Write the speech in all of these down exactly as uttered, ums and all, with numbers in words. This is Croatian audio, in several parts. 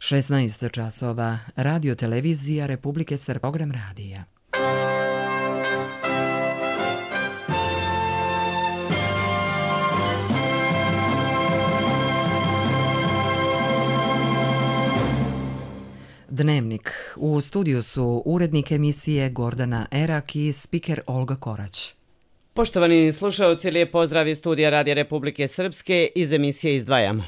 šesnaest časova, Radio televizija Republike Srpske, program radija. Dnevnik. U studiju su urednik emisije Gordana Erak i spiker Olga Korać. Poštovani slušalci, lijep pozdrav iz studija Radija Republike Srpske, iz emisije izdvajamo.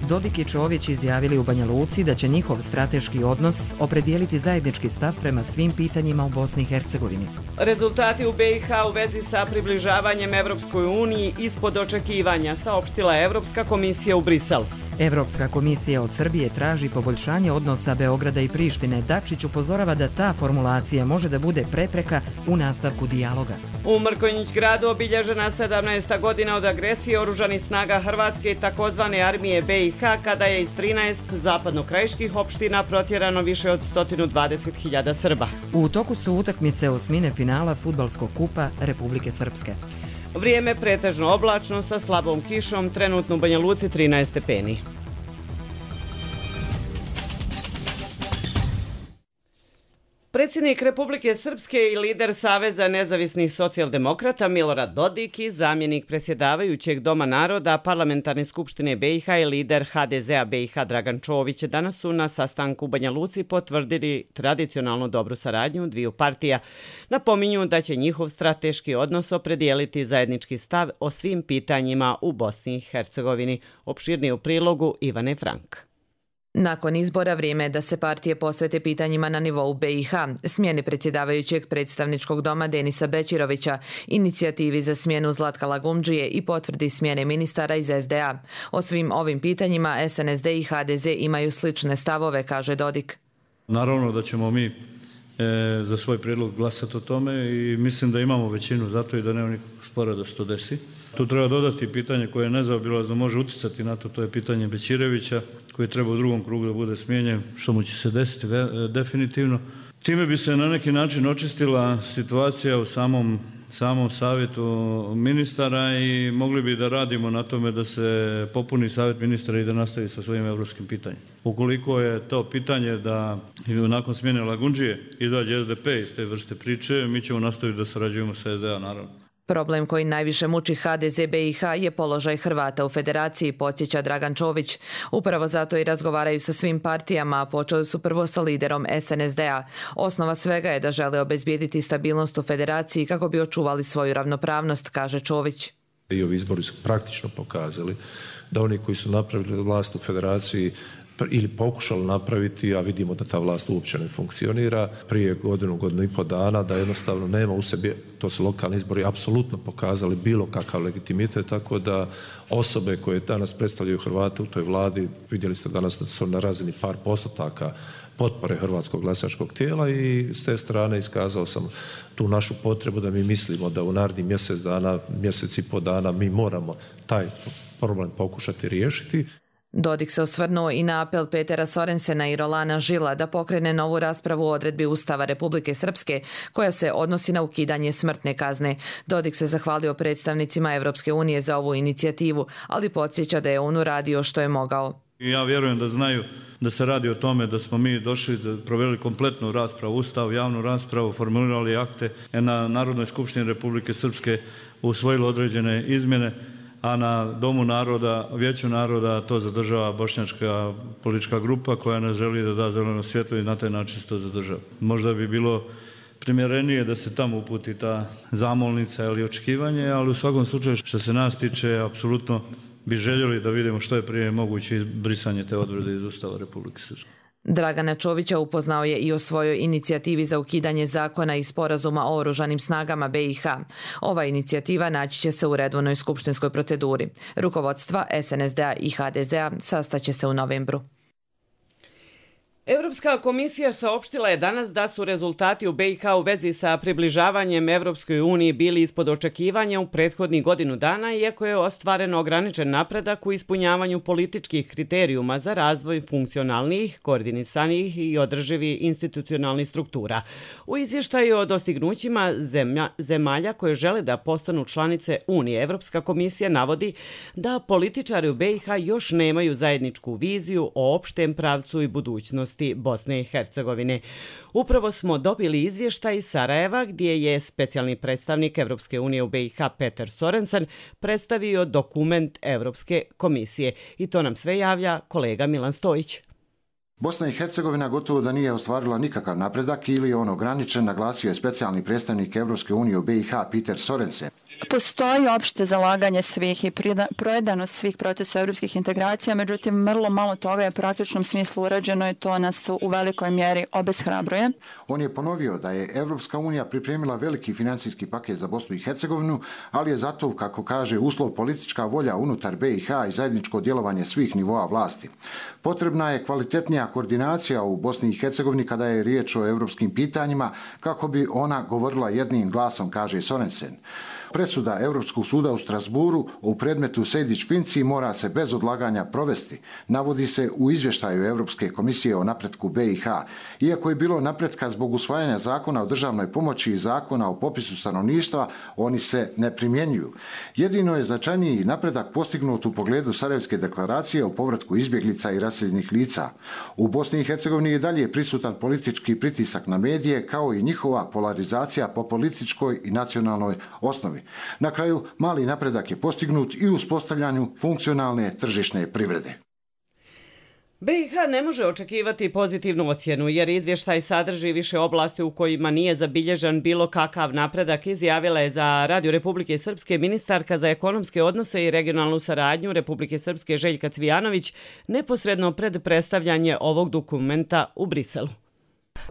Dodik i Čović izjavili u Banja Luci da će njihov strateški odnos opredijeliti zajednički stav prema svim pitanjima u Bosni i Hercegovini. Rezultati u be i ha u vezi sa približavanjem Evropskoj uniji ispod očekivanja, saopštila Evropska komisija u Briselu. Evropska komisija od Srbije traži poboljšanje odnosa Beograda i Prištine. Dačić upozorava da ta formulacija može da bude prepreka u nastavku dijaloga. U Mrkonjić gradu obilježena sedamnaesta godina od agresije oružanih snaga Hrvatske i takozvane armije be i ha, kada je iz trinaest zapadnokrajiških opština protjerano više od sto dvadeset hiljada Srba. U toku su utakmice osmine finala Fudbalskog kupa Republike Srpske. Vrijeme pretežno oblačno sa slabom kišom, trenutno u Banja Luci trinaest stepeni. Predsjednik Republike Srpske i lider Saveza nezavisnih socijaldemokrata Milorad Dodik i zamjenik predsjedavajućeg Doma naroda Parlamentarne skupštine be i ha i lider ha de zea be i ha Dragan Čović danas su na sastanku u Banja Luci potvrdili tradicionalno dobru saradnju dviju partija. Napominju da će njihov strateški odnos opredijeliti zajednički stav o svim pitanjima u Bosni i Hercegovini. Opširnije u prilogu Ivane Frank. Nakon izbora vrijeme je da se partije posvete pitanjima na nivou be i ha, smjeni predsjedavajućeg predstavničkog doma Denisa Bećirovića, inicijativi za smjenu Zlatka Lagumdžije i potvrdi smjene ministara iz es de a. O svim ovim pitanjima es en es de i ha de ze imaju slične stavove, kaže Dodik. Naravno da ćemo mi e, za svoj prijedlog glasati o tome i mislim da imamo većinu zato i da nema nikakvog spora da se to desi. Tu treba dodati pitanje koje je nezaobilazno može utjecati na to, to je pitanje Bećirevića koji treba u drugom krugu da bude smijenjen, što mu će se desiti definitivno. Time bi se na neki način očistila situacija u samom, samom savjetu ministara i mogli bi da radimo na tome da se popuni savjet ministara i da nastavi sa svojim evropskim pitanjem. Ukoliko je to pitanje da nakon smjene Lagumdžije izađe es de pe iz te vrste priče, mi ćemo nastaviti da sarađujemo sa es de a, naravno. Problem koji najviše muči ha de ze be i ha je položaj Hrvata u federaciji, podsjeća Dragan Čović. Upravo zato i razgovaraju sa svim partijama, a počeli su prvo sa liderom es en es de a. Osnova svega je da žele obezbijediti stabilnost u federaciji kako bi očuvali svoju ravnopravnost, kaže Čović. I ovi izbori su praktično pokazali da oni koji su napravili vlast u federaciji ili pokušali napraviti, a vidimo da ta vlast uopće ne funkcionira, prije godinu, godinu i po dana, da jednostavno nema u sebi, to su lokalni izbori, apsolutno pokazali bilo kakav legitimitet, tako da osobe koje danas predstavljaju Hrvate u toj vladi, vidjeli ste danas da su na razini par postotaka potpore hrvatskog glasačkog tijela i s te strane iskazao sam tu našu potrebu da mi mislimo da u narednih mjesec dana, mjesec i po dana mi moramo taj problem pokušati riješiti. Dodik se osvrnuo i na apel Petera Sorensena i Rolana Žila da pokrene novu raspravu o odredbi Ustava Republike Srpske koja se odnosi na ukidanje smrtne kazne. Dodik se zahvalio predstavnicima Evropske unije za ovu inicijativu, ali podsjeća da je on uradio što je mogao. Ja vjerujem da znaju da se radi o tome da smo mi došli, da proveli kompletnu raspravu, Ustav, javnu raspravu, formulirali akte, na Narodnoj skupštini Republike Srpske usvojili određene izmjene, a na Domu naroda, Vijeću naroda to zadržava bošnjačka politička grupa koja ne želi da da zeleno svjetlo i na taj način se to zadržava. Možda bi bilo primjerenije da se tamo uputi ta zamolnica ili očekivanje, ali u svakom slučaju što se nas tiče, apsolutno bi željeli da vidimo što je prije moguće brisanje te odredbe iz Ustava Republike Srpske. Dragana Čovića upoznao je i o svojoj inicijativi za ukidanje zakona i sporazuma o oružanim snagama be i ha. Ova inicijativa naći će se u redovnoj skupštinskoj proceduri. Rukovodstva es en es de a i ha de zea sastaće se u novembru. Evropska komisija saopštila je danas da su rezultati u B i H u vezi sa približavanjem Evropskoj uniji bili ispod očekivanja u prethodnih godinu dana, iako je ostvaren ograničen napredak u ispunjavanju političkih kriterijuma za razvoj funkcionalnih, koordinisanih i održivih institucionalnih struktura. U izvještaju o dostignućima zemlja, zemalja koje žele da postanu članice Unije, Evropska komisija navodi da političari u B i H još nemaju zajedničku viziju o opštem pravcu i budućnosti Bosne i Hercegovine. Upravo smo dobili izvještaj iz Sarajeva gdje je specijalni predstavnik Evropske unije u B i H Peter Sorensen predstavio dokument Evropske komisije. I to nam sve javlja kolega Milan Stojić. Bosna i Hercegovina gotovo da nije ostvarila nikakav napredak ili je on ograničen, naglasio je specijalni predstavnik Evropske unije u B i H Peter Sorensen. Postoji opšte zalaganje svih i projedanost svih procesa evropskih integracija, međutim, vrlo malo toga je u praktičnom smislu urađeno i to nas u velikoj mjeri obeshrabruje. On je ponovio da je Evropska unija pripremila veliki financijski paket za Bosnu i Hercegovinu, ali je zato, kako kaže, uslov politička volja unutar B i H i zajedničko djelovanje svih nivoa vlasti. Potrebna je kvalitetnija koordinacija u Bosni i Hercegovini kada je riječ o evropskim pitanjima, kako bi ona govorila jednim glasom, kaže Sorensen. Presuda Europskog suda u Strasburu u predmetu Sejdić-Finci mora se bez odlaganja provesti, navodi se u izvještaju Europske komisije o napretku B i H. Iako je bilo napretka zbog usvajanja zakona o državnoj pomoći i zakona o popisu stanovništva, oni se ne primjenjuju. Jedino je značajniji napredak postignut u pogledu Sarajevske deklaracije o povratku izbjeglica i raseljenih lica. U Bosni i Hercegovini je dalje prisutan politički pritisak na medije, kao i njihova polarizacija po političkoj i nacionalnoj osnovi. Na kraju, mali napredak je postignut i u uspostavljanju funkcionalne tržišne privrede. B i H ne može očekivati pozitivnu ocjenu jer izvještaj sadrži više oblasti u kojima nije zabilježen bilo kakav napredak, izjavila je za Radio Republike Srpske ministarka za ekonomske odnose i regionalnu saradnju Republike Srpske Željka Cvijanović neposredno pred predstavljanje ovog dokumenta u Briselu.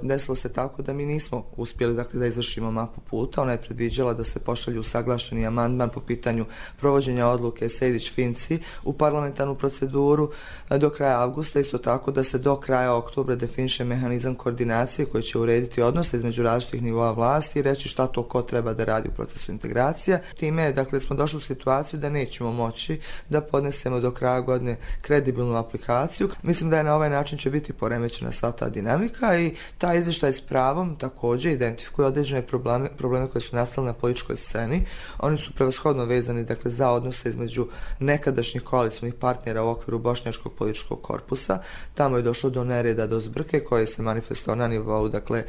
Desilo se tako da mi nismo uspjeli dakle, da izvršimo mapu puta. Ona je predviđala da se pošalju usaglašeni amandman po pitanju provođenja odluke Sejdić-Finci u parlamentarnu proceduru do kraja avgusta. Isto tako da se do kraja oktobra definiše mehanizam koordinacije koji će urediti odnose između različitih nivoa vlasti i reći šta to ko treba da radi u procesu integracija. Time dakle, smo došli u situaciju da nećemo moći da podnesemo do kraja godine kredibilnu aplikaciju. Mislim da je na ovaj način će biti poremećena sva ta dinamika i taj izvještaj s pravom također identifikuje određene probleme, probleme koje su nastale na političkoj sceni. Oni su prevashodno vezani dakle, za odnose između nekadašnjih koalicijnih partnera u okviru bošnjačkog političkog korpusa. Tamo je došlo do nereda, do zbrke koje se manifestovao na nivou dakle,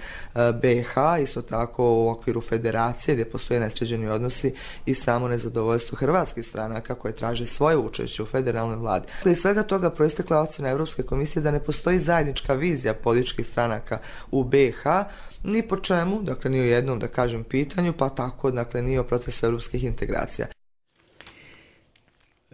B i H, isto tako u okviru federacije gdje postoje nesređeni odnosi i samo nezadovoljstvo hrvatskih stranaka koje traže svoje učešće u federalnoj vladi. Iz svega toga proistekla ocjena Europske komisije da ne postoji zajednička vizija političkih stranaka u B i H, ni po čemu, dakle ni o jednom da kažem pitanju, pa tako dakle ni o procesu europskih integracija.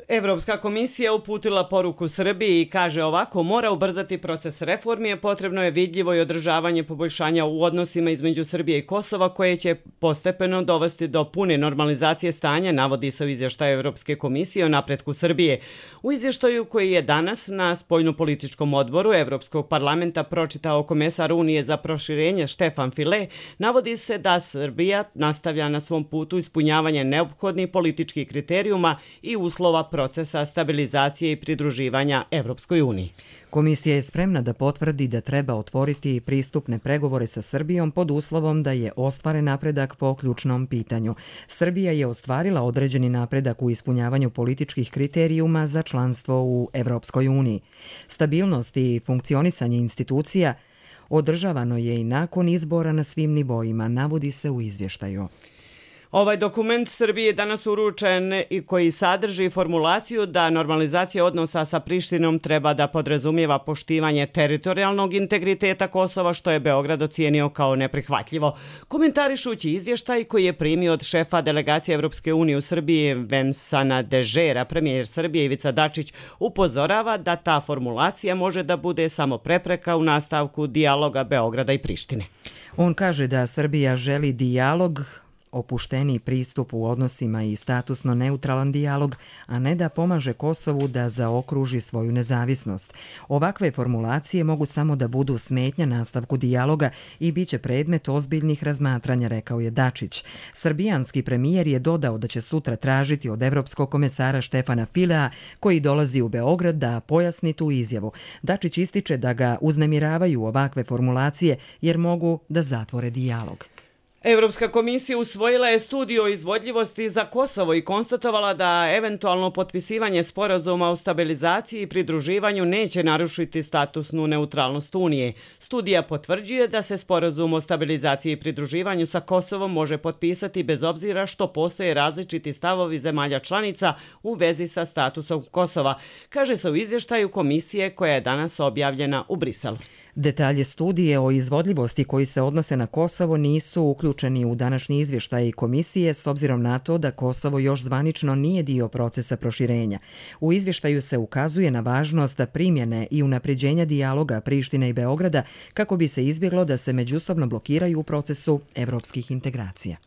Evropska komisija uputila poruku Srbiji i kaže ovako: mora ubrzati proces reformi, potrebno je vidljivo i održavanje poboljšanja u odnosima između Srbije i Kosova koje će postepeno dovesti do pune normalizacije stanja, navodi se u izvještaju Evropske komisije o napretku Srbije. U izvještaju koji je danas na spoljnopolitičkom odboru Evropskog parlamenta pročitao komesar Unije za proširenje Štefan File, navodi se da Srbija nastavlja na svom putu ispunjavanje neophodnih političkih kriterijuma i uslova procesa stabilizacije i pridruživanja Evropskoj uniji. Komisija je spremna da potvrdi da treba otvoriti pristupne pregovore sa Srbijom pod uslovom da je ostvaren napredak po ključnom pitanju. Srbija je ostvarila određeni napredak u ispunjavanju političkih kriterijuma za članstvo u Evropskoj uniji. Stabilnost i funkcionisanje institucija održavano je i nakon izbora na svim nivoima, navodi se u izvještaju. Ovaj dokument Srbije je danas uručen i koji sadrži formulaciju da normalizacija odnosa sa Prištinom treba da podrazumijeva poštivanje teritorijalnog integriteta Kosova, što je Beograd ocijenio kao neprihvatljivo. Komentarišući izvještaj koji je primio od šefa delegacije Evropske unije u Srbiji Vensana Dežera, premijer Srbije Ivica Dačić upozorava da ta formulacija može da bude samo prepreka u nastavku dijaloga Beograda i Prištine. On kaže da Srbija želi dijalog opušteniji pristup u odnosima i statusno neutralan dijalog, a ne da pomaže Kosovu da zaokruži svoju nezavisnost. Ovakve formulacije mogu samo da budu smetnja nastavku dijaloga i bit će predmet ozbiljnih razmatranja, rekao je Dačić. Srbijanski premijer je dodao da će sutra tražiti od evropskog komesara Štefana Filea, koji dolazi u Beograd, da pojasni tu izjavu. Dačić ističe da ga uznemiravaju ovakve formulacije jer mogu da zatvore dijalog. Evropska komisija usvojila je studiju o izvodljivosti za Kosovo i konstatovala da eventualno potpisivanje sporazuma o stabilizaciji i pridruživanju neće narušiti statusnu neutralnost Unije. Studija potvrđuje da se sporazum o stabilizaciji i pridruživanju sa Kosovom može potpisati bez obzira što postoje različiti stavovi zemalja članica u vezi sa statusom Kosova, kaže se u izvještaju komisije koja je danas objavljena u Briselu. Detalje studije o izvodljivosti koji se odnose na Kosovo nisu uključeni u današnji izvještaj komisije s obzirom na to da Kosovo još zvanično nije dio procesa proširenja. U izvještaju se ukazuje na važnost primjene i unapređenja dijaloga Prištine i Beograda kako bi se izbjeglo da se međusobno blokiraju u procesu evropskih integracija.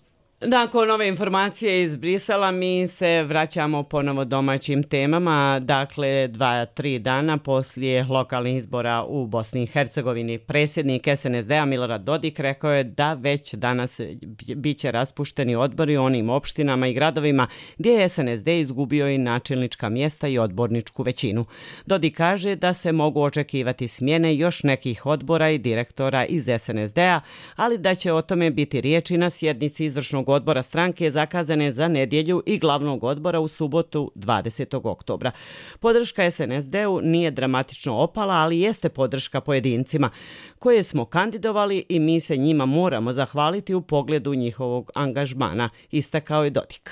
Nakon ove informacije iz Brisela mi se vraćamo ponovo domaćim temama. Dakle, dva, tri dana poslije lokalnih izbora u Bosni i Hercegovini, predsjednik es en es de-a Milorad Dodik rekao je da već danas bit će raspušteni odbori u onim opštinama i gradovima gdje je es en es de izgubio i načelnička mjesta i odborničku većinu. Dodik kaže da se mogu očekivati smjene još nekih odbora i direktora iz es en es de-a, ali da će o tome biti riječi na sjednici izvršnog odbora stranke zakazane za nedjelju i glavnog odbora u subotu dvadesetog oktobra. Podrška es en es de-u nije dramatično opala, ali jeste podrška pojedincima koje smo kandidovali i mi se njima moramo zahvaliti u pogledu njihovog angažmana, istakao je Dodik.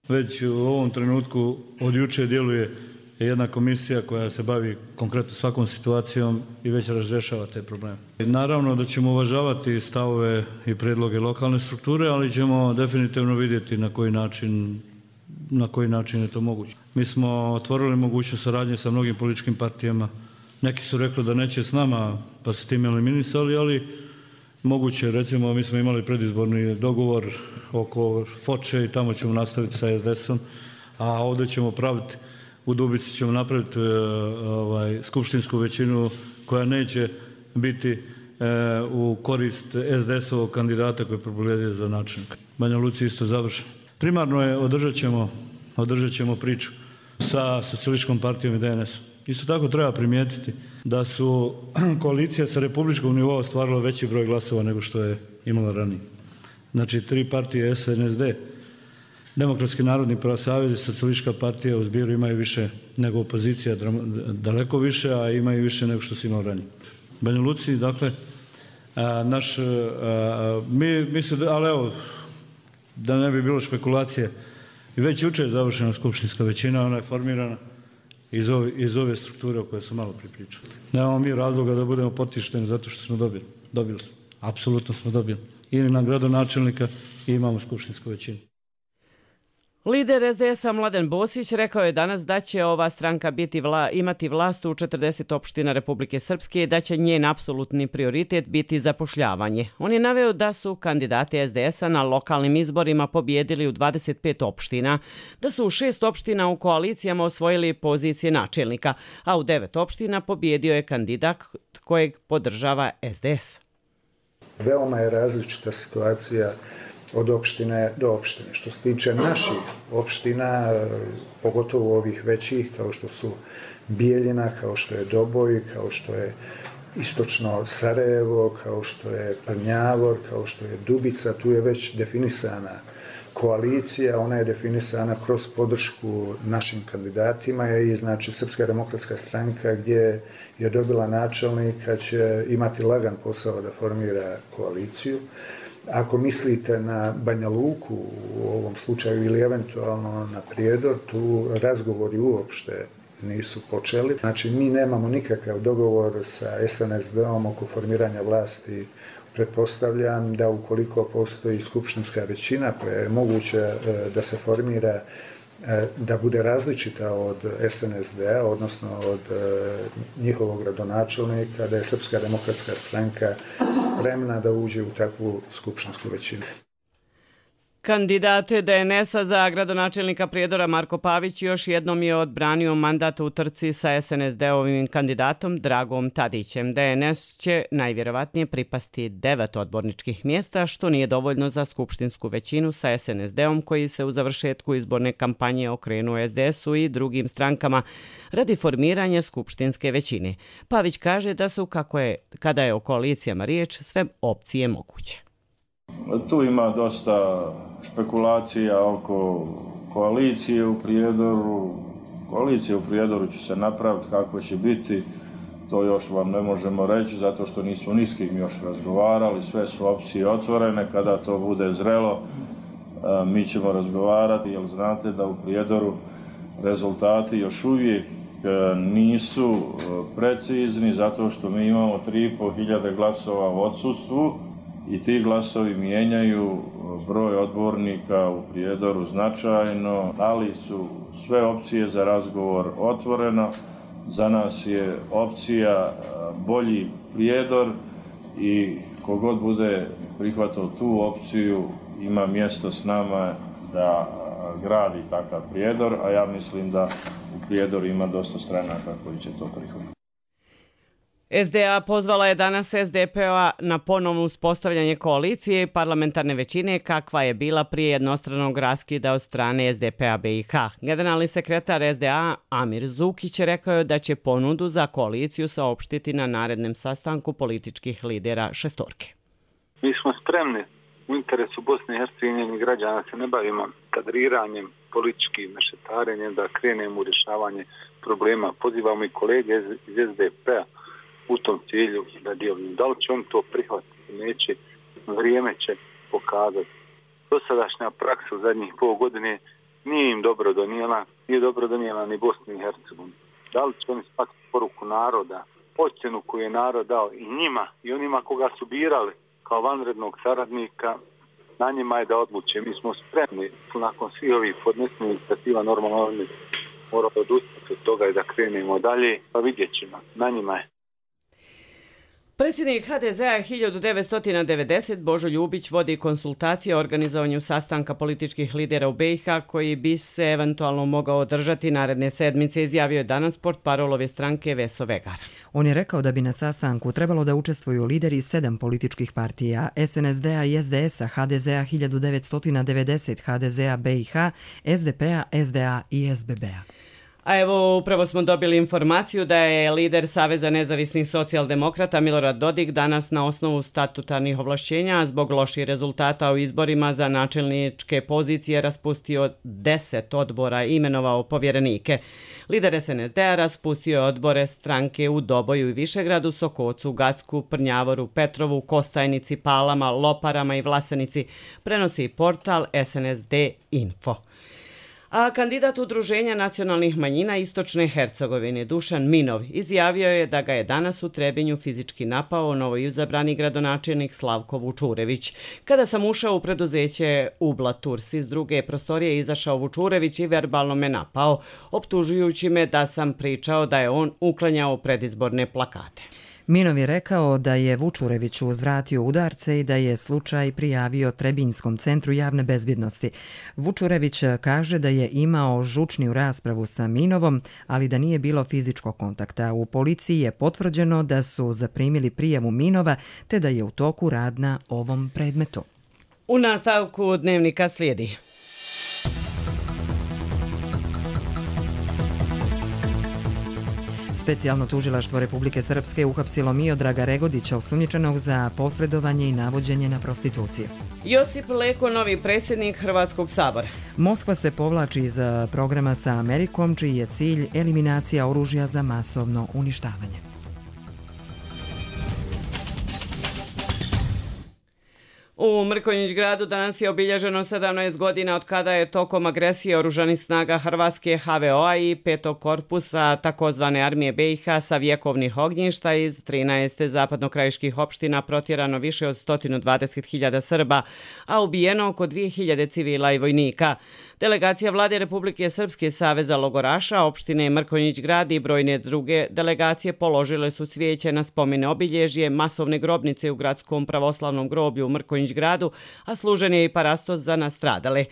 Već u ovom trenutku od juče djeluje jedna komisija koja se bavi konkretno svakom situacijom i već razrješava te probleme. Naravno da ćemo uvažavati stavove i predloge lokalne strukture, ali ćemo definitivno vidjeti na koji način, na koji način je to moguće. Mi smo otvorili mogućnost saradnje sa mnogim političkim partijama. Neki su rekli da neće s nama, pa se tim eliminisali, ali moguće, recimo, mi smo imali predizborni dogovor oko Foče i tamo ćemo nastaviti sa es de esom, a ovdje ćemo praviti u Dubici ćemo napraviti e, ovaj, skupštinsku većinu koja neće biti e, u korist es de esovog kandidata koji je propulezio za načelnika. Banja Luci isto završeno. Primarno je održat ćemo, održat ćemo priču sa socijalističkom partijom i de en esom. Isto tako treba primijetiti da su koalicija sa republičkog nivoa ostvarila veći broj glasova nego što je imala ranije. Znači tri partije es en es de, Demokratski narodni savez i socijalistička partija u zbiru imaju više nego opozicija, daleko više, a imaju više nego što su imali ranije. Banja Luci, dakle, a, naš, a, mi, mi se, ali evo, da ne bi bilo špekulacije, i već juče je završena skupštinska većina, ona je formirana iz ove, iz ove strukture o kojoj sam malo pripričao. Nemamo mi razloga da budemo potišteni zato što smo dobili. Dobili smo. Apsolutno smo dobili. I na gradonačelnika i imamo skupštinsku većinu. Lider es de esa Mladen Bosić rekao je danas da će ova stranka biti vla, imati vlast u četrdeset opština Republike Srpske i da će njen apsolutni prioritet biti zapošljavanje. On je naveo da su kandidati es de esa na lokalnim izborima pobjedili u dvadeset pet opština, da su u šest opština u koalicijama osvojili pozicije načelnika, a u devet opština pobjedio je kandidat kojeg podržava es de es. Veoma je različita situacija od opštine do opštine. Što se tiče naših opština, pogotovo ovih većih, kao što su Bijeljina, kao što je Doboj, kao što je istočno Sarajevo, kao što je Prnjavor, kao što je Dubica, tu je već definisana koalicija, ona je definisana kroz podršku našim kandidatima i znači Srpska demokratska stranka gdje je dobila načelnika će imati lagan posao da formira koaliciju. Ako mislite na Banja Luku u ovom slučaju ili eventualno na Prijedor, tu razgovori uopšte nisu počeli. Znači, mi nemamo nikakav dogovor sa es en es de-om oko formiranja vlasti. Pretpostavljam da ukoliko postoji skupštinska većina koja je moguće da se formira, da bude različita od es en es de-a, odnosno od njihovog gradonačelnika, da je Srpska demokratska stranka spremna da uđe u takvu skupštinsku većinu. Kandidat D N S-a za gradonačelnika Prijedora Marko Pavić još jednom je odbranio mandat u trci sa S N S D-ovim kandidatom Dragom Tadićem. D N S će najvjerovatnije pripasti devet odborničkih mjesta, što nije dovoljno za skupštinsku većinu sa S N S D-om koji se u završetku izborne kampanje okrenuo S D S-u i drugim strankama radi formiranja skupštinske većine. Pavić kaže da su, kako je, kada je o koalicijama riječ, sve opcije moguće. Tu ima dosta špekulacija oko koalicije u Prijedoru. Koalicija u Prijedoru će se napraviti, kako će biti, to još vam ne možemo reći, zato što nismo ni s kim još razgovarali, sve su opcije otvorene. Kada to bude zrelo, mi ćemo razgovarati, jer znate da u Prijedoru rezultati još uvijek nisu precizni, zato što mi imamo tri i pol hiljade glasova u odsustvu, i ti glasovi mijenjaju broj odbornika u Prijedoru značajno, ali su sve opcije za razgovor otvoreno. Za nas je opcija bolji Prijedor i kogod bude prihvatio tu opciju ima mjesto s nama da gradi takav Prijedor, a ja mislim da u Prijedoru ima dosta stranaka koji će to prihvatiti. S D A pozvala je danas S D P-a na ponovno uspostavljanje koalicije i parlamentarne većine kakva je bila prije jednostranog raskida od strane S D P-a B i H. Generalni sekretar S D A Amir Zukić rekao je da će ponudu za koaliciju saopštiti na narednom sastanku političkih lidera šestorke. Mi smo spremni u interesu Bosne i Hercegovine i građana, se ne bavimo kadriranjem, političkim mešetarenjem, da krenemo u rješavanje problema. Pozivamo i kolege iz S D P-a u tom cilju da djeluju. Da li će on to prihvatiti, neće, vrijeme će pokazati. Dosadašnja praksa u zadnjih pol godine nije im dobro donijela, nije dobro donijela ni Bosni i Hercegovini. Da li će oni shvatiti poruku naroda, ocjenu koju je narod dao i njima i onima koga su birali kao vanrednog saradnika, na njima je da odluče. Mi smo spremni nakon svih ovih podnesenih inicijativa, normalno moramo odustati od toga i da krenemo dalje, pa vidjet ćemo, na njima je. Predsjednik H D Z-a hiljadu devetsto devedeset Božo Ljubić vodi konsultacije o organizovanju sastanka političkih lidera u B i H koji bi se eventualno mogao održati naredne sedmice, izjavio je danas portparolove stranke Veso Vegara. On je rekao da bi na sastanku trebalo da učestvuju lideri sedam političkih partija, S N S D-a i S D S-a, H D Z-a hiljadu devetsto devedeset, H D Z-a B i H, S D P-a, S D A i S B B-a. A evo, upravo smo dobili informaciju da je lider Saveza nezavisnih socijaldemokrata Milorad Dodik danas na osnovu statutarnih ovlašćenja zbog loših rezultata u izborima za načelničke pozicije raspustio deset odbora i imenovao povjerenike. Lider S N S D-a raspustio je odbore stranke u Doboju i Višegradu, Sokocu, Gacku, Prnjavoru, Petrovu, Kostajnici, Palama, Loparama i Vlasenici, prenosi portal S N S D Info. A kandidat Udruženja nacionalnih manjina Istočne Hercegovine Dušan Minov izjavio je da ga je danas u Trebinju fizički napao novoizabrani gradonačelnik Slavko Vučurević. Kada sam ušao u preduzeće Ubla Turs, iz druge prostorije izašao Vučurević i verbalno me napao, optužujući me da sam pričao da je on uklanjao predizborne plakate. Minov je rekao da je Vučureviću uzvratio udarce i da je slučaj prijavio Trebinjskom centru javne bezbjednosti. Vučurević kaže da je imao žučniju raspravu sa Minovom, ali da nije bilo fizičkog kontakta. U policiji je potvrđeno da su zaprimili prijavu Minova te da je u toku rad na ovom predmetu. U nastavku dnevnika slijedi. Specijalno tužilaštvo Republike Srpske uhapsilo Miodraga Regodića, osumnjičenog za posredovanje i navođenje na prostituciju. Josip Leko, novi predsjednik Hrvatskog sabora. Moskva se povlači iz programa sa Amerikom, čiji je cilj eliminacija oružja za masovno uništavanje. U Mrkonjić gradu danas je obilježeno sedamnaest godina od kada je tokom agresije oružanih snaga Hrvatske H V O-a i petog korpusa takozvane armije B i H sa vjekovnih ognjišta iz trinaest zapadnokrajiških opština protjerano više od sto dvadeset hiljada Srba, a ubijeno oko dvije hiljade civila i vojnika. Delegacija Vlade Republike Srpske, Saveza logoraša, opštine Mrkonjić grad i brojne druge delegacije položile su cvijeće na spomene obilježje masovne grobnice u gradskom pravoslavnom groblju u Mrkonjić Mrkonjić gradu, a služen je i parastos za nastradale.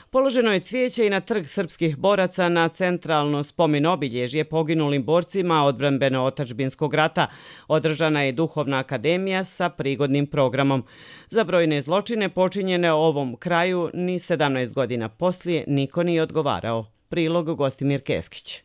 Položeno je cvijeće i na trg srpskih boraca na centralno spomen obilježje poginulim borcima odbrambeno-otačbinskog rata. Održana je duhovna akademija sa prigodnim programom. Za brojne zločine počinjene u ovom kraju ni sedamnaest godina poslije niko nije odgovarao. Prilog Gostimir Keskić.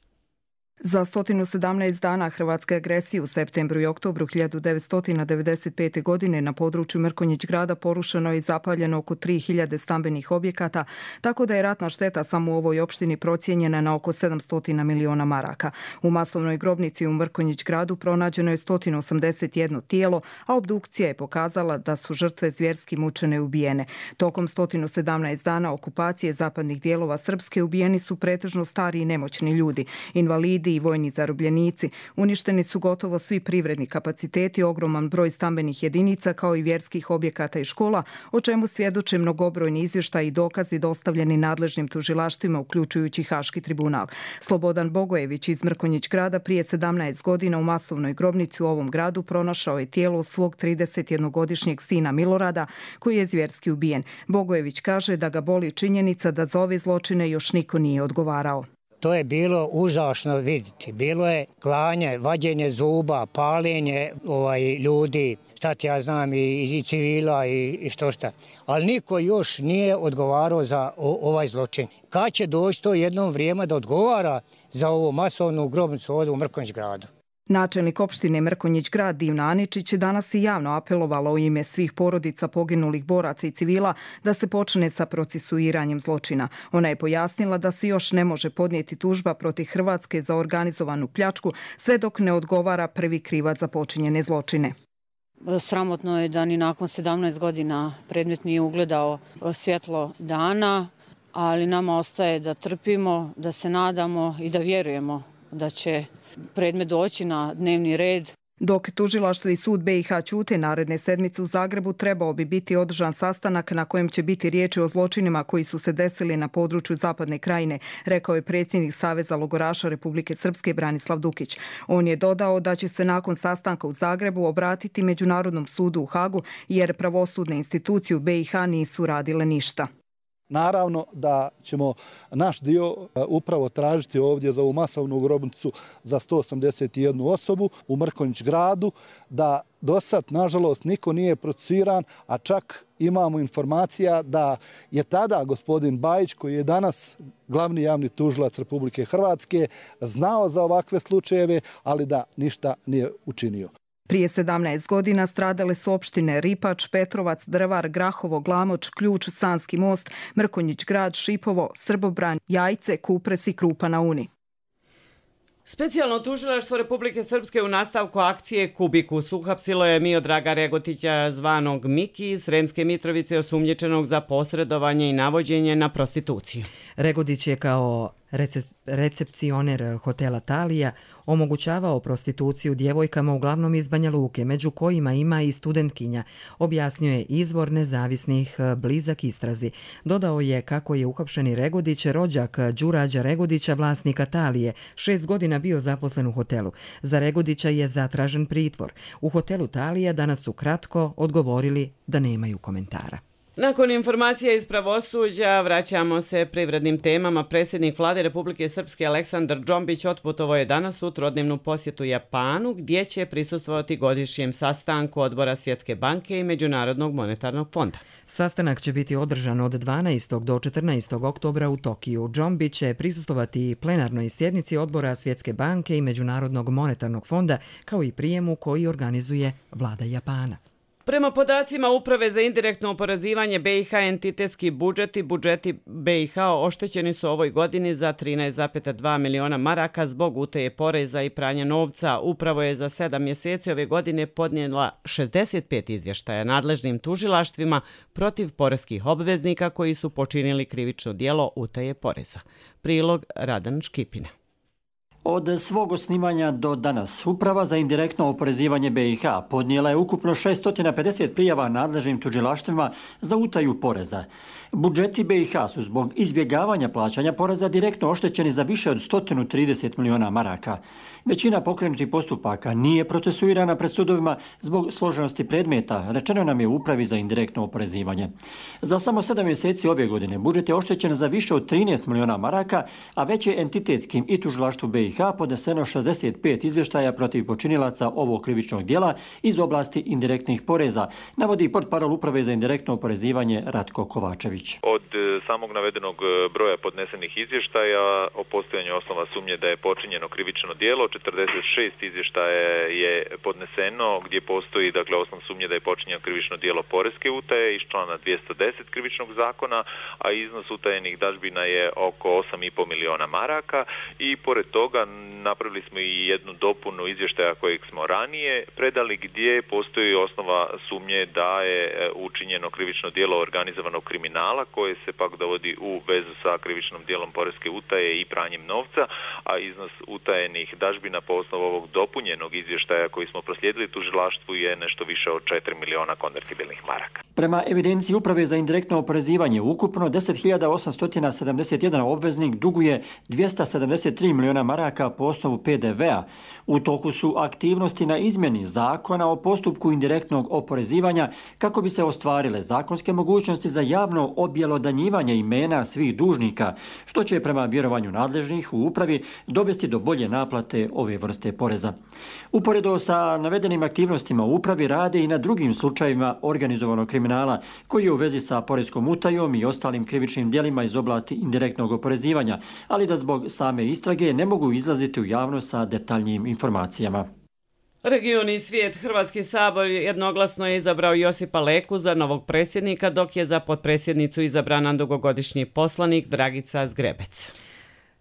Za sto sedamnaest dana hrvatske agresije u septembru i oktobru hiljadu devetsto devedeset pete. godine na području Mrkonjić grada porušeno je i zapaljeno oko tri hiljade stambenih objekata, tako da je ratna šteta samo u ovoj opštini procijenjena na oko sedamsto miliona maraka. U masovnoj grobnici u Mrkonjić gradu pronađeno je sto osamdeset jedno tijelo, a obdukcija je pokazala da su žrtve zvjerski mučene i ubijene. Tokom sto sedamnaest dana okupacije zapadnih dijelova Srpske ubijeni su pretežno stari i nemoćni ljudi, invalidi i vojni zarobljenici. Uništeni su gotovo svi privredni kapaciteti, ogroman broj stambenih jedinica kao i vjerskih objekata i škola, o čemu svjedoče mnogobrojni izvještaji i dokazi dostavljeni nadležnim tužilaštvima, uključujući Haški tribunal. Slobodan Bogojević iz Mrkonjić grada prije sedamnaest godina u masovnoj grobnici u ovom gradu pronašao je tijelo svog tridesetjednogodišnjeg sina Milorada, koji je zvjerski ubijen. Bogojević kaže da ga boli činjenica da za ove zločine još niko nije odgovarao. To je bilo užasno vidjeti. Bilo je klanje, vađenje zuba, paljenje ovaj, ljudi, šta ti ja znam, i, i civila i, i što šta. Ali niko još nije odgovarao za o, ovaj zločin. Kad će doći to jednom vrijeme da odgovara za ovu masovnu grobnicu ovdje u Mrkonjić gradu? Načelnik opštine Mrkonjić grad Divna Aničić je danas i javno apelovala u ime svih porodica poginulih boraca i civila da se počne sa procesuiranjem zločina. Ona je pojasnila da se još ne može podnijeti tužba protiv Hrvatske za organizovanu pljačku sve dok ne odgovara prvi krivac za počinjene zločine. Sramotno je da ni nakon sedamnaest godina predmet nije ugledao svjetlo dana, ali nama ostaje da trpimo, da se nadamo i da vjerujemo da će predmet doći na dnevni red. Dok tužilaštvo i sud B i H ćute, naredne sedmice u Zagrebu trebao bi biti održan sastanak na kojem će biti riječi o zločinima koji su se desili na području Zapadne Krajine, rekao je predsjednik Saveza logoraša Republike Srpske Branislav Dukić. On je dodao da će se nakon sastanka u Zagrebu obratiti Međunarodnom sudu u Hagu jer pravosudne institucije u B i H nisu radile ništa. Naravno da ćemo naš dio upravo tražiti ovdje za ovu masovnu grobnicu za sto osamdeset jednu osobu u Mrkonjić gradu, da do sad, nažalost, niko nije procesuiran, a čak imamo informacija da je tada gospodin Bajić, koji je danas glavni javni tužilac Republike Hrvatske, znao za ovakve slučajeve, ali da ništa nije učinio. Prije sedamnaest godina stradale su opštine Ripač, Petrovac, Drvar, Grahovo, Glamoč, Ključ, Sanski most, Mrkonjić grad, Šipovo, Srbobran, Jajce, Kupres i Krupa na Uni. Specijalno tužilaštvo Republike Srpske u nastavku akcije Kubikus uhapsilo je Miodraga Regotića zvanog Miki iz Sremske Mitrovice osumnjičenog za posredovanje i navođenje na prostituciju. Regotić je kao recep, recepcioner hotela Talija omogućavao prostituciju djevojkama uglavnom iz Banja Luke, među kojima ima i studentkinja, objasnio je izvor nezavisnih blizak istrazi. Dodao je kako je uhapšeni Regodić rođak Đurađa Regodića, vlasnika Talije, šest godina bio zaposlen u hotelu. Za Regodića je zatražen pritvor. U hotelu Talija danas su kratko odgovorili da nemaju komentara. Nakon informacija iz pravosuđa vraćamo se privrednim temama. Predsjednik Vlade Republike Srpske Aleksandar Džombić otputovao je danas u trodnevnu posjetu Japanu, gdje će prisustvovati godišnjem sastanku Odbora Svjetske banke i Međunarodnog monetarnog fonda. Sastanak će biti održan od dvanaestog do četrnaestog oktobra u Tokiju. Džombić će prisustvovati plenarnoj sjednici Odbora Svjetske banke i Međunarodnog monetarnog fonda, kao i prijemu koji organizuje Vlada Japana. Prema podacima Uprave za indirektno oporezivanje B i H, entitetski budžeti, budžeti B i H oštećeni su ovoj godini za trinaest zarez dva miliona maraka zbog utaje poreza i pranja novca. Upravo je za sedam mjeseci ove godine podnijela šezdeset pet izvještaja nadležnim tužilaštvima protiv poreskih obveznika koji su počinili krivično djelo utaje poreza. Prilog Radan Škipina. Od svog osnivanja do danas Uprava za indirektno oporezivanje B i H podnijela je ukupno šesto pedeset prijava nadležnim tužilaštvima za utaju poreza. Budžeti B i H su zbog izbjegavanja plaćanja poreza direktno oštećeni za više od sto trideset miliona maraka. Većina pokrenutih postupaka nije procesuirana pred sudovima zbog složenosti predmeta, rečeno nam je u Upravi za indirektno oporezivanje. Za samo sedam mjeseci ove godine budžet je oštećen za više od trinaest miliona maraka, a već je entitetskim i tužilaštvu B i H podneseno šezdeset pet izvještaja protiv počinilaca ovog krivičnog djela iz oblasti indirektnih poreza, navodi portparol Uprave za indirektno oporezivanje Ratko Kovačević. Od samog navedenog broja podnesenih izvještaja o postojanju osnova sumnje da je počinjeno krivično djelo, četrdeset šest izvještaja je podneseno gdje postoji dakle osnov sumnje da je počinjeno krivično djelo poreske utaje iz člana dvjesto deset krivičnog zakona, a iznos utajenih dažbina je oko osam i pol miliona maraka i pored toga napravili smo i jednu dopunu izvještaja kojeg smo ranije predali gdje postoji osnova sumnje da je učinjeno krivično djelo organizovanog kriminala koje se pak dovodi u vezu sa krivičnom djelom poreske utaje i pranjem novca, a iznos utajenih dažbina po osnovu ovog dopunjenog izvještaja koji smo proslijedili tužilaštvu je nešto više od četiri miliona konvertibilnih maraka. Prema evidenciji Uprave za indirektno oporezivanje, ukupno deset hiljada osamsto sedamdeset jedan obveznik duguje dvjesto sedamdeset tri miliona maraka po osnovu P D V-a. U toku su aktivnosti na izmjeni zakona o postupku indirektnog oporezivanja kako bi se ostvarile zakonske mogućnosti za javno objelodanjivanje imena svih dužnika, što će prema vjerovanju nadležnih u upravi dovesti do bolje naplate ove vrste poreza. Uporedo sa navedenim aktivnostima u upravi rade i na drugim slučajevima organizovanog kriminala koji je u vezi sa poreskom utajom i ostalim krivičnim djelima iz oblasti indirektnog oporezivanja, ali da zbog same istrage ne mogu izlaziti u javnost sa detaljnijim informacijama. Region i svijet. Hrvatski sabor jednoglasno je izabrao Josipa Leku za novog predsjednika, dok je za potpredsjednicu izabrana dugogodišnji poslanik Dragica Zgrebec.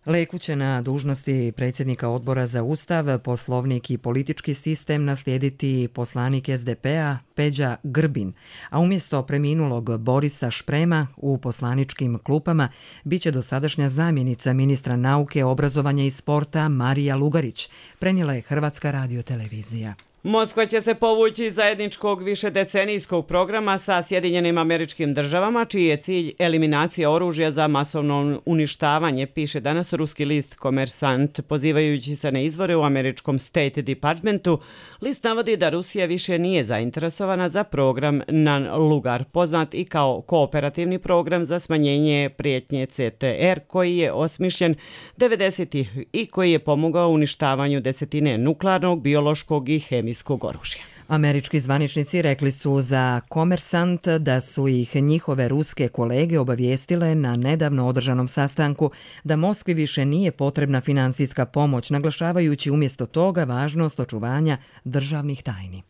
Leku će na dužnosti predsjednika Odbora za Ustav, Poslovnik i politički sistem naslijediti poslanik S D P-a Peđa Grbin, a umjesto preminulog Borisa Šprema u poslaničkim klupama biće dosadašnja zamjenica ministra nauke, obrazovanja i sporta Marija Lugarić, prenijela je Hrvatska radiotelevizija. Moskva će se povući iz zajedničkog višedecenijskog programa sa Sjedinjenim Američkim Državama, čiji je cilj eliminacija oružja za masovno uništavanje, piše danas ruski list Komersant. Pozivajući se na izvore u američkom State Departmentu, list navodi da Rusija više nije zainteresovana za program Nan-Lugar, poznat i kao kooperativni program za smanjenje prijetnje C T R, koji je osmišljen devedesetih i koji je pomogao uništavanju desetine nuklearnog, biološkog i hemijskog oružja. Američki zvaničnici rekli su za Komersant da su ih njihove ruske kolege obavijestile na nedavno održanom sastanku da Moskvi više nije potrebna financijska pomoć, naglašavajući umjesto toga važnost očuvanja državnih tajni.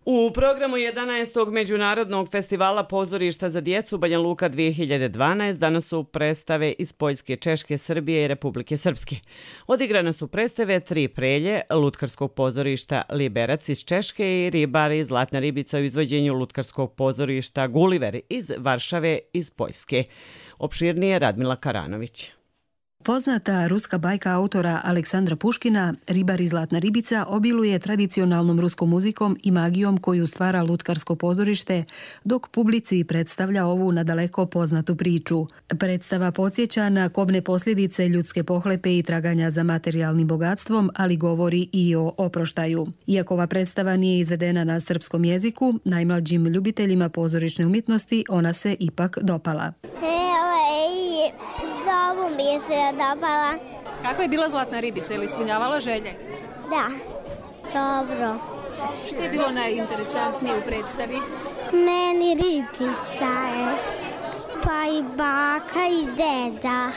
U programu jedanaestog Međunarodnog festivala pozorišta za djecu Banja Luka dvije hiljade dvanaest danas su predstave iz Poljske, Češke, Srbije i Republike Srpske. Odigrane su predstave Tri prelje lutkarskog pozorišta Liberac iz Češke i Ribari Zlatna ribica u izvođenju lutkarskog pozorišta Gulliver iz Varšave iz Poljske. Opširnije Radmila Karanović. Poznata ruska bajka autora Aleksandra Puškina, Ribar i Zlatna ribica, obiluje tradicionalnom ruskom muzikom i magijom koju stvara lutkarsko pozorište, dok publici predstavlja ovu nadaleko poznatu priču. Predstava podsjeća na kobne posljedice ljudske pohlepe i traganja za materijalnim bogatstvom, ali govori i o oproštaju. Iako ova predstava nije izvedena na srpskom jeziku, najmlađim ljubiteljima pozorišne umjetnosti ona se ipak dopala. Dobro mi je se dopala. Kako je bila Zlatna ribica? Je li ispunjavala želje? Da, dobro. Što je bilo najinteresantnije u predstavi? Meni ribica je, pa i baka i deda.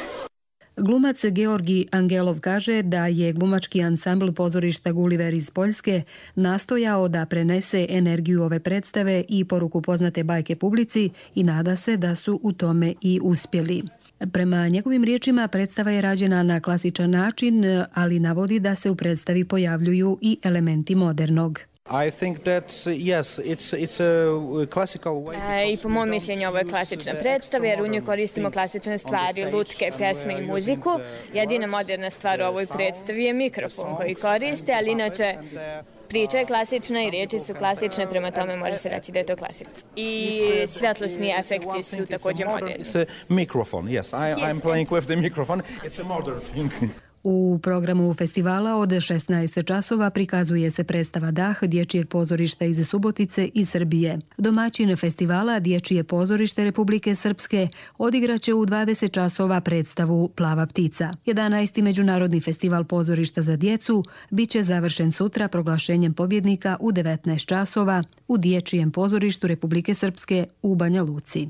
Glumac Georgi Angelov kaže da je glumački ansambl pozorišta Gulliver iz Poljske nastojao da prenese energiju ove predstave i poruku poznate bajke publici i nada se da su u tome i uspjeli. Prema njegovim riječima predstava je rađena na klasičan način, ali navodi da se u predstavi pojavljuju i elementi modernog. I think that yes, it's it's a classical way. I po mom mišljenju ovo je klasična predstava jer u njoj koristimo klasične stvari, lutke, pjesme i muziku. Jedina moderna stvar u ovoj predstavi je mikrofon koji koriste, ali inače priča je klasična i riječi su klasične, prema tome može se reći da je to klasično. I svjetlosni efekti su također moderni. It's a microphone, yes. I, I'm playing with the microphone. It's a modern thing. U programu festivala od šesnaest časova prikazuje se predstava Dah dječjeg pozorišta iz Subotice i Srbije. Domaćin festivala Dječje pozorište Republike Srpske odigraće u dvadeset časova predstavu Plava ptica. jedanaesti Međunarodni festival pozorišta za djecu biće završen sutra proglašenjem pobjednika u devetnaest časova u Dječjem pozorištu Republike Srpske u Banja Luci.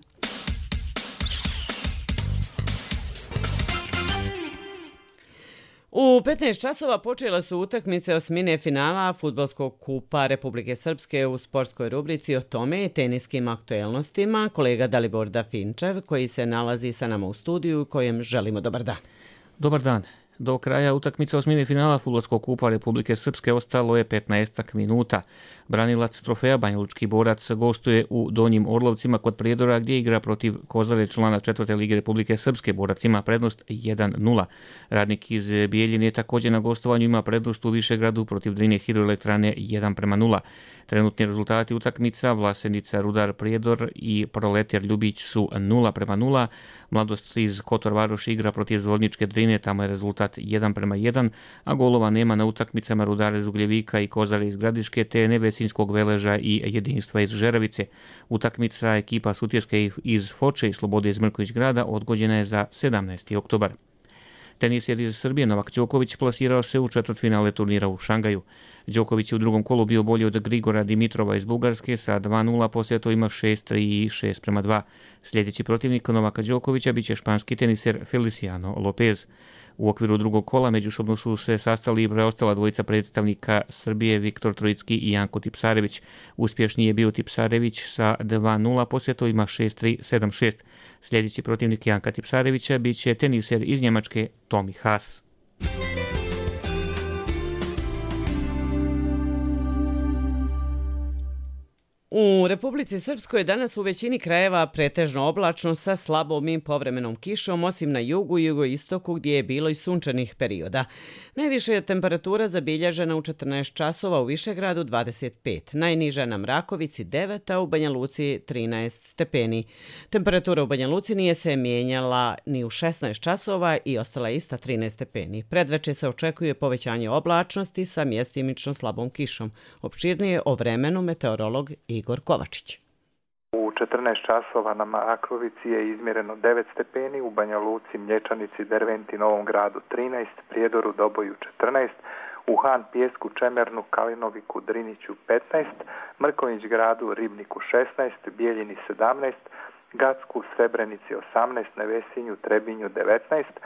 U petnaest časova počela su utakmice osmine finala Fudbalskog kupa Republike Srpske u sportskoj rubrici o tome i teniskim aktuelnostima. Kolega Dalibor Dafinčev koji se nalazi sa nama u studiju kojem želimo dobar dan. Dobar dan. Do kraja utakmice osmine finala Fudbalskog kupa Republike Srpske ostalo je petnaest minuta. Branilac trofeja Banjalučki borac gostuje u Donjim Orlovcima kod Prijedora gdje igra protiv Kozare, člana četvrte lige Republike Srpske. Borac ima prednost jedan nula. Radnik iz Bijeljine također na gostovanju ima prednost u Višegradu protiv Drine hidroelektrane jedan prema nula. Trenutni rezultati utakmica Vlasenica, Rudar, Prijedor i Proletar Ljubić su nula prema nula. Mladost iz Kotor Varoš igra protiv Zvorničke Drine, tamo je rezultat jedan prema jedan, a golova nema na utakmicama Rudara iz Ugljevika i Kozare iz Gradiške, te Nevesinskog Veleža i Jedinstva iz Žeravice. Utakmica ekipa Sutjeske iz Foče i Slobode iz Mrković grada odgođena je za sedamnaesti oktobar. Teniser iz Srbije Novak Đoković plasirao se u četvrtfinale turnira u Šangaju. Đoković je u drugom kolu bio bolji od Grigora Dimitrova iz Bugarske sa dva nula, poslije to ima šest tri i šest prema dva. Sljedeći protivnik Novaka Đokovića biće španski teniser Feliciano Lopez. U okviru drugog kola međusobno su se sastali i preostala dvojica predstavnika Srbije Viktor Trojicki i Janko Tipsarević. Uspješniji je bio Tipsarević sa dva nula, poslije to ima šest tri sedam šest. Sljedeći protivnik Janka Tipsarevića biće teniser iz Njemačke Tomi Haas. U Republici Srpskoj danas u većini krajeva pretežno oblačno sa slabom i povremenom kišom, osim na jugu i jugoistoku gdje je bilo i sunčanih perioda. Najviša je temperatura zabilježena u četrnaest časova u Višegradu dvadeset pet, najniža na Mrakovici devet, a u Banja Luci trinaest stepeni. Temperatura u Banja Luci nije se mijenjala ni u šesnaest časova i ostala je ista trinaest stepeni. Predveče se očekuje povećanje oblačnosti sa mjestimično slabom kišom. Opširnije o vremenu meteorolog Igor Kovačić. U četrnaest časova na Mrakovici je izmjereno devet stepeni, u Banja Luci, Mlječanici, Derventi, Novom gradu trinaest, Prijedoru, Doboju četrnaest, u Han, Pijesku, Čemernu, Kalinoviku, Driniću petnaest, Mrkonjić gradu, Ribniku šesnaest, Bijeljini sedamnaest, Gacku, Srebrenici osamnaest, Nevesinju, Trebinju devetnaest,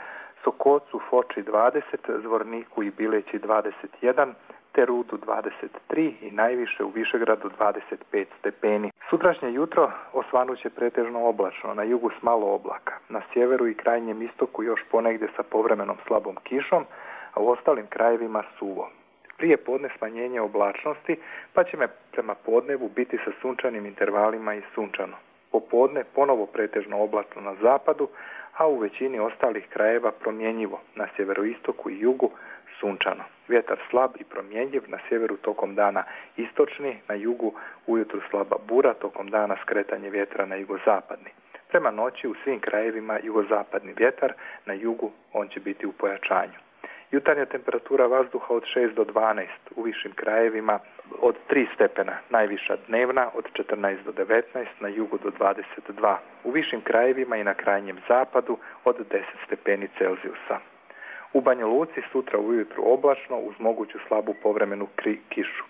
Sokocu, Foči dvadeset, Zvorniku i Bileći dvadeset jedan, te Rudu dvadeset tri i najviše u Višegradu dvadeset pet stepeni. Sutrašnje jutro osvanuće pretežno oblačno, na jugu s malo oblaka, na sjeveru i krajnjem istoku još ponegdje sa povremenom slabom kišom, a u ostalim krajevima suvo. Prije podne smanjenje oblačnosti, pa će me prema podnevu biti sa sunčanim intervalima i sunčano. Popodne ponovo pretežno oblačno na zapadu, a u većini ostalih krajeva promjenjivo, na sjeveroistoku i jugu sunčano. Vjetar slab i promjenjiv, na sjeveru tokom dana istočni, na jugu ujutru slaba bura, tokom dana skretanje vjetra na jugozapadni. Prema noći u svim krajevima jugozapadni vjetar, na jugu on će biti u pojačanju. Jutarnja temperatura vazduha od šest do dvanaest, u višim krajevima od tri stepena, najviša dnevna od četrnaest do devetnaest, na jugu do dvadeset dva. U višim krajevima i na krajnjem zapadu od deset stepeni Celzijusa. U Banja Luci sutra ujutru oblačno uz moguću slabu povremenu kri, kišu.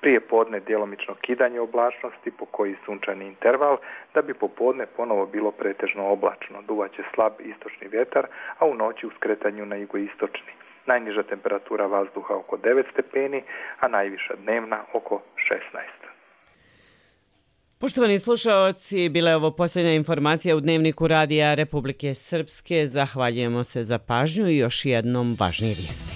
Prije podne djelomično kidanje oblačnosti po koji sunčani interval, da bi popodne ponovo bilo pretežno oblačno. Duvaće slab istočni vjetar, a u noći u skretanju na jugoistočni. Najniža temperatura vazduha oko devet stepeni, a najviša dnevna oko šesnaest. Poštovani slušaoci, bila je ovo posljednja informacija u Dnevniku Radija Republike Srpske. Zahvaljujemo se za pažnju i još jednom važnije vijesti.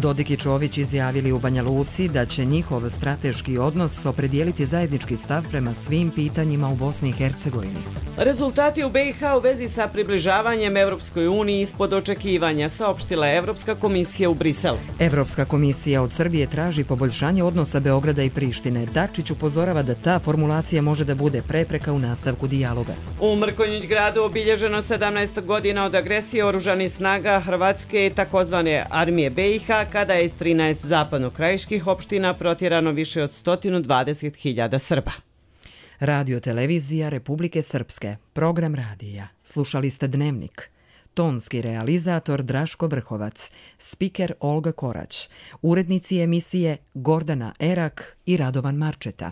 Dodik i Čović izjavili u Banja Luci da će njihov strateški odnos opredijeliti zajednički stav prema svim pitanjima u Bosni i Hercegovini. Rezultati u be i ha u vezi sa približavanjem Evropskoj uniji ispod očekivanja, saopštila je Evropska komisija u Briselu. Evropska komisija od Srbije traži poboljšanje odnosa Beograda i Prištine. Dačić upozorava da ta formulacija može da bude prepreka u nastavku dijaloga. U Mrkonjić gradu obilježeno sedamnaest godina od agresije oružanih snaga Hrvatske i takozvane armije be i ha, kada je iz trinaest zapadno-krajiških opština protjerano više od sto dvadeset hiljada Srba. Radio televizija Republike Srpske, program radija. Slušali ste Dnevnik. Tonski realizator Draško Vrhovac, spiker Olga Korać, urednici emisije Gordana Erak i Radovan Marčeta.